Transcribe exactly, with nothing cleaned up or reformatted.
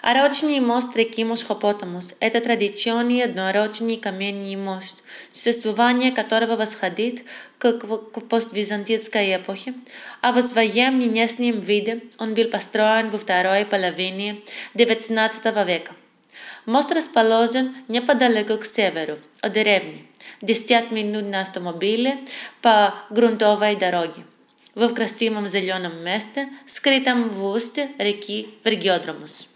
Арочный мост реки Мосхопотамус – это традиционный одноарочный каменный мост, существование которого восходит к, к поствизантийской эпохе, а в своем нынешнем виде он был построен во второй половине девятнадцатого века. Мост расположен неподалеку к северу от деревни, десять минут на автомобиле по грунтовой дороге, в красивом зеленом месте, скрытом в устье реки Вергиодромус.